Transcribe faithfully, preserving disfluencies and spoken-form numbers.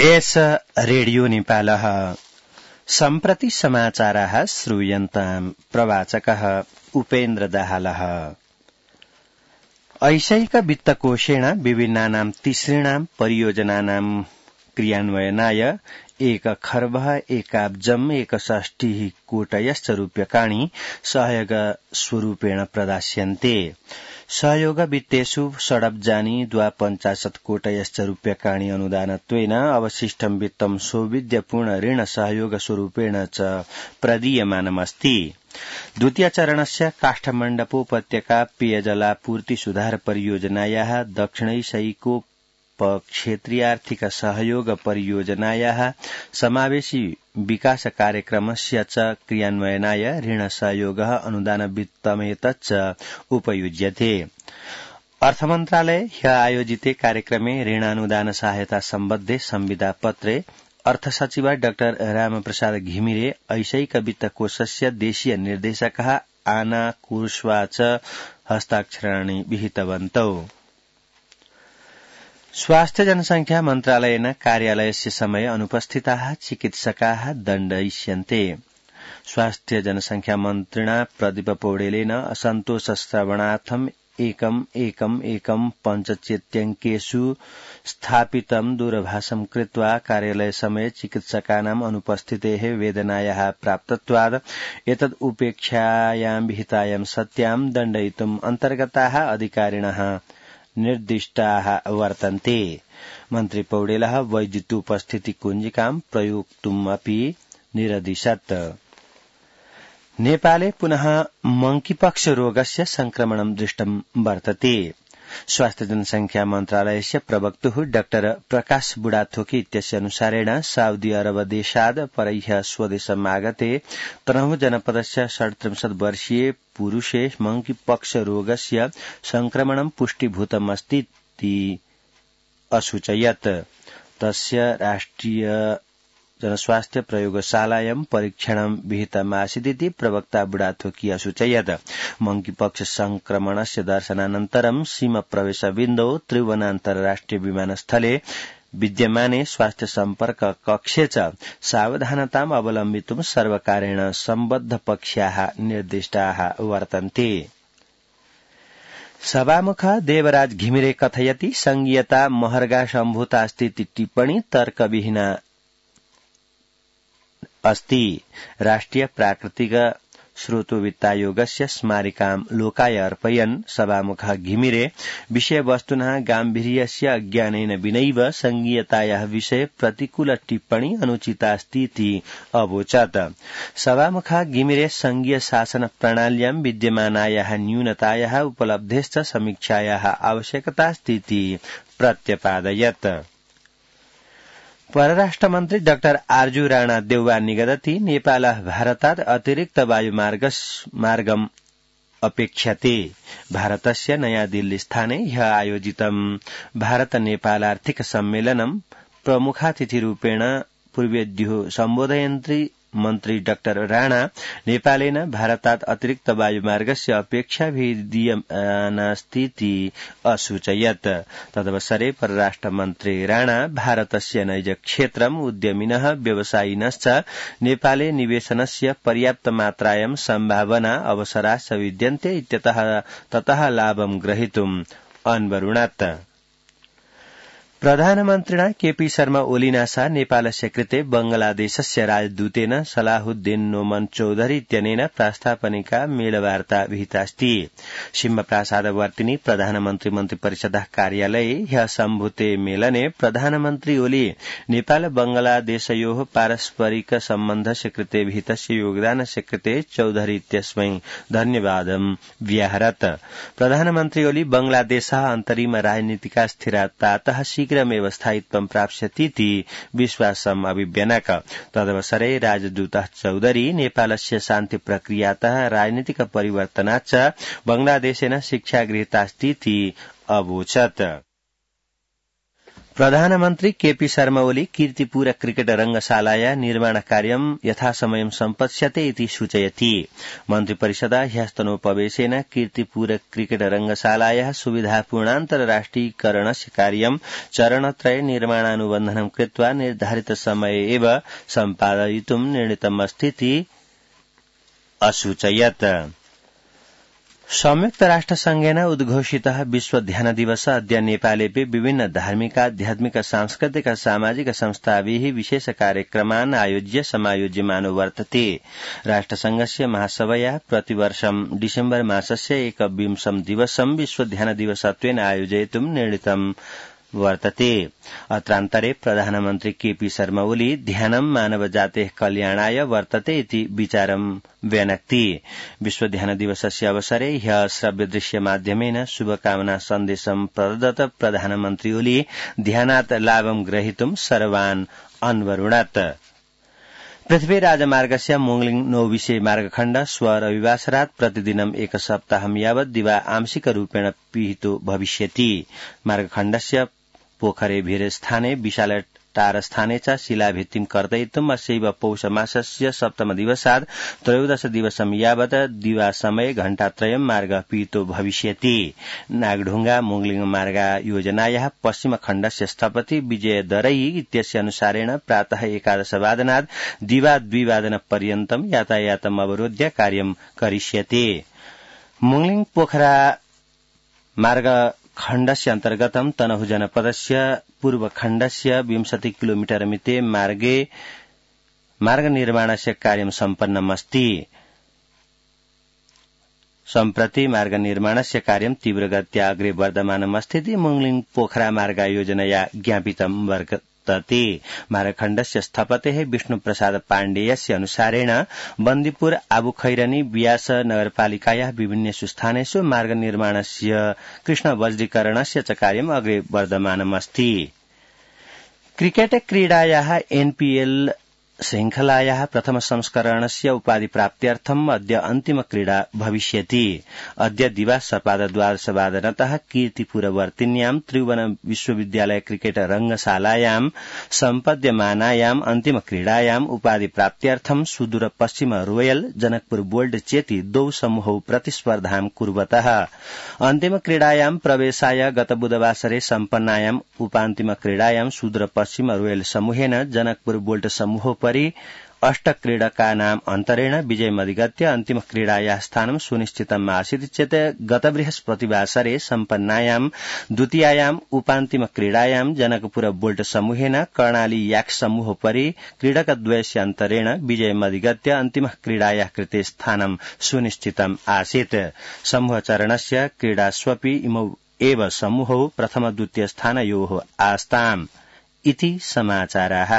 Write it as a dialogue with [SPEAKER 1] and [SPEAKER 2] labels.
[SPEAKER 1] S radio नेपालः सम्प्रति समाचाराः श्रूयन्ताम् प्रवाचकः उपेन्द्र दाहालः। ऐशैक वित्तकोषेण विभिन्नानां तिसृणां परियोजनानां क्रियान्वयनाय एक खर्बः एकाब्जम् एकषष्टिः कोटयश्च रूप्यकाणि सहयोग स्वरूपेण प्रदास्यन्ते। सहयोग वित्तेषु षडब्जानि द्वापञ्चाशत् कोटयश्च रूप्यकाणि अनुदानत्वेन अवशिष्टं वित्तं सौविध्यपूर्ण ऋण सहयोग स्वरूपेण च प्रदीयमानमस्ति। द्वितीय चरणस्य काष्ठमण्डपोपत्यका पेयजलापूर्ति सुधार परियोजनायाः दक्षिणैशैको क्षेत्रीयार्थिक सहयोग परियोजनायाः समावेशी विकास कार्यक्रमस्य च क्रियान्वयनाय ऋण सहयोगः अनुदान वित्तमेतच्च उपयुज्यते। अर्थमन्त्रालये ह्य आयोजिते कार्यक्रमे ऋणानुदान सहायता सम्बद्धे संविदा पत्रे अर्थसचिव डाक्टर रामप्रसाद घिमिरे ऐशैक वित्तकोषस्य देशीय निर्देशकः आना कुर्स्वा च हस्ताक्षराणि विहितवन्तौ। स्वास्थ्य जनसंख्या मन्त्रालयेन कार्यालयस्य समये अनुपस्थिताः चिकित्सकाः दण्डयिष्यन्ते। स्वास्थ्य जनसंख्या मन्त्रिणा प्रदीप पौडेलेन असन्तोषश्रवणार्थम् एकम् एकम् एकम् पञ्चचेत्यङ्केषु स्थापितं दूरभाषं कृत्वा कार्यालय समये चिकित्सकानाम् अनुपस्थितेः वेदनायाः प्राप्तत्वात् एतद् उपेक्षायां विहितायां सत्यां दण्डयितुम् अन्तर्गताः अधिकारिणः निर्दिष्टाः वर्तन्ते। मन्त्री पौडेलः वैद्युतोपस्थिति कुञ्जिकां प्रयोक्तुमपि निरदिशत्। नेपाले पुनः मंकीपक्ष रोगस्य संक्रमणं दृष्टं वर्तते। स्वास्थ्य जनसंख्या मन्त्रालयस्य प्रवक्तुः डाक्टर प्रकाश बुढाथोकी इत्यस्य अनुसारेण साउदी अरब देशाद् परह्य स्वदेशमागते तनहुँ जनपदस्य षड्त्रिंशत् वर्षीय पुरुषे मंकीपक्ष रोगस्य संक्रमणं पुष्टीभूतमस्तीति असूचयत्। तस्य राष्ट्रिय जनस्वास्थ्य प्रयोगशालायां परीक्षणं विहितमासीदिति प्रवक्ता बुढाथोकी असूचयत्। मंकीपक्ष संक्रमणस्य दर्शनानन्तरं सीमाप्रवेशबिन्दौ त्रिभुवन अन्तर्राष्ट्रिय विमानस्थले विद्यमाने स्वास्थ्य सम्पर्क कक्षे च सावधानताम् अवलम्बितुं सर्वकारेण सम्बद्धपक्षाः निर्दिष्टाः वर्तन्ते। सभामुख देवराज घिमिरे कथयति संघीयता महर्गा सम्भूता अस्ति टिप्पणी तर्कविहीना अस्ति। राष्ट्रिय प्राकृतिक स्रोतोवित्तायोगस्य स्मारिकां लोकाय अर्पयन् सभामुख घिमिरे विषयवस्तुनः गाम्भीर्यस्य अज्ञानेन विनैव संघीयतायाः विषये प्रतिकूल टिप्पणी अनुचितास्तीति अवोचत्। सभामुख घिमिरे संघीय शासन प्रणाल्यां विद्यमानायाः न्यूनतायाः उपलब्धेश्च समीक्षायाः आवश्यकतास्तीति प्रत्यपादयत्। परराष्ट्रमन्त्री डाक्टर आर्जु राणा देउवा निगदति नेपालः भारतात् अतिरिक्त वायुमार्गम् अपेक्ष्यते। भारतस्य नयाँ दिल्ली स्थाने ह्यः आयोजितं भारत नेपाल आर्थिक सम्मेलनं प्रमुखातिथिरूपेण पूर्वेद्युः सम्बोधयन्त्री मन्त्री डाक्टर राणा नेपालेन भारतात् अतिरिक्त वायुमार्गस्य अपेक्षा विद्यमानास्तीति असूचयत्। तदवसरे परराष्ट्रमन्त्री राणा भारतस्य नैज क्षेत्रम् उद्यमिनः व्यवसायिनश्च नेपाले निवेशनस्य पर्याप्त मात्रायां सम्भावना अवसराः विद्यन्ते इत्यतः ततः लाभं ग्रहीतुम् अन्वरुणत्। प्रधानमन्त्रिणा केपी शर्मा ओलीना सह नेपालस्य कृते बंगलादेशस्य राजदूतेन सलाहुद्दीन नोमन चौधरी इत्यनेन प्रास्तावनिका मेलवार्ता विहितास्ति। सिंहप्रासादवर्तिनि प्रधानमन्त्री मन्त्रिपरिषदः कार्यालये ह्यः सम्भूते मेलने प्रधानमन्त्री ओली नेपाल बंगलादेशयोः पारस्परिक सम्बन्धस्य कृते विहितस्य योगदानस्य कृते चौधरी इत्यस्मै धन्यवादं व्याहरत्। प्रधानमन्त्री ओली बंगलादेशः अन्तरिम राजनीतिका स्थिरतातः शीघ्रमेव स्थायित्वं प्राप्स्यतीति विश्वासम् अभिव्यनक। तदवसरे राजदूतः चौधरी नेपालस्य शान्ति प्रक्रियातः राजनीतिक परिवर्तनाच्च बांग्लादेशेन शिक्षा गृहीतास्तीति अवोचत्। प्रधानमन्त्री केपी शर्मा ओली कीर्तिपुर क्रिकेट रंगशालाया निर्माण कार्यं यथासमयं सम्पत्स्यते इति सूचयति। मन्त्रिपरिषदा ह्यस्तनोपवेशेन कीर्तिपुर क्रिकेट रंगशालाया सुविधापूर्णान्तरराष्ट्रियकरणस्य कार्यं चरणत्रये निर्माणानुबन्धनं कृत्वा निर्धारित समये एव सम्पादयितुं निर्णीतमस्तीति असूचयत्। संयुक्त राष्ट्र संघेन उद्घोषितः विश्व ध्यान दिवस अद्य नेपालेपि विभिन्न धार्मिक आध्यात्मिक सांस्कृतिक सामाजिक संस्थाभिः विशेष कार्यक्रमान् आयोज्य समायोज्यमानो वर्तते। राष्ट्रसंघस्य महासभया प्रतिवर्षं डिसेम्बर मासस्य एकविंशं दिवसं विश्व ध्यान दिवसत्वेन आयोजयितुं निर्णीतं वर्तते। अत्रान्तरे प्रधानमन्त्री केपी शर्मा ओली ध्यानं मानवजातेः कल्याणाय वर्तते इति विचारं व्यनक्ति। विश्व ध्यान दिवसस्य अवसरे ह्यः श्रव्यदृश्य माध्यमेन शुभकामना सन्देशं प्रदत्त प्रधानमन्त्री ओली ध्यानात् लाभं ग्रहीतुं सर्वान् अन्वरुणत्। पृथ्वी राजमार्गस्य मोङलिङ नौविसे मार्गखण्ड स्व रविवासरात् प्रतिदिनम् एक सप्ताहं यावत् दिवा आंशिकरूपेण पिहितो भविष्यति। मार्गखण्डस्य पोखरे भीर स्थाने विशाल टार स्थाने च शिलाभित्तिं कर्तयितुम् अस्यैव पौष मासस्य सप्तम दिवसात् त्रयोदश दिवसं यावत् दिवासमये घण्टात्रयं मार्ग पिहितो भविष्यति। नागढुंगा मोङलिङ मार्ग योजनायाः पश्चिम खण्डस्य स्थपति विजय दरै इत्यस्य अनुसारेण प्रातः एकादशवादनात् दिवा द्विवादन पर्यन्तं यातायातम् अवरोध्य कार्यं करिष्यते। मोङलिङ पोखरा मार्ग खण्डस्य अन्तर्गतं तनहु जनपदस्य पूर्वखण्डस्य विंशति किलोमीटर मिते मार्गे मार्ग निर्माणस्य कार्यं सम्पन्नमस्ति। सम्प्रति मार्ग निर्माणस्य कार्यं तीव्रगत्या अग्रे वर्धमानमस्तीति मोङलिङ पोखरा मार्ग योजनया ज्ञापितं वर्तते। मार्गखण्डस्य स्थपतेः विष्णुप्रसाद पाण्डेयस्य अनुसारेण बन्दीपुर आबुखैरनी व्यास नगरपालिकायाः विभिन्नेषु स्थानेषु मार्ग निर्माणस्य कृष्ण वज्रीकरणस्य च कार्यम् अग्रे वर्धमानमस्ति। क्रिकेट क्रीडायाः एनपीएल श्रृंखलायाः प्रथम संस्करणस्य उपाधिप्राप्त्यर्थम् अद्य अन्तिम क्रीडा भविष्यति। अद्य दिवा सपादद्वादशवादनतः कीर्तिपुरवर्तिन्यां त्रिभुवन विश्वविद्यालय क्रिकेट रंगशालायां सम्पद्यमानायाम् अन्तिम क्रीडायाम् उपाधिप्राप्त्यर्थं सुदूर पश्चिम रोयल जनकपुर बोल्ड चेति द्वौ समूहौ प्रतिस्पर्धां कुर्वतः। अन्तिम क्रीडायां प्रवेशाय गत बुधवासरे सम्पन्नायाम् उपान्तिम क्रीडायां सुदूर पश्चिम रोयल समूहेन जनकपुर बोल्ड समूह परि अष्ट क्रीडकानाम् अन्तरेण विजयमधिगत्य अन्तिम क्रीडायाः स्थानं सुनिश्चितम् आसीत् चेत् गत बृहस्पतिवासरे सम्पन्नायाम् द्वितीयायाम् उपान्तिम क्रीडायां जनकपुर बोल्ट समूहेन कर्णाली याक समूहोपरि क्रीडकद्वयस्य अन्तरेण विजयमधिगत्य अन्तिम क्रीडायाः कृते स्थानं सुनिश्चितम् आसीत्। समूहचरणस्य क्रीडास्वपि इमौ एव समूहौ प्रथम द्वितीय स्थानयोः आस्ताम् इति समाचाराः।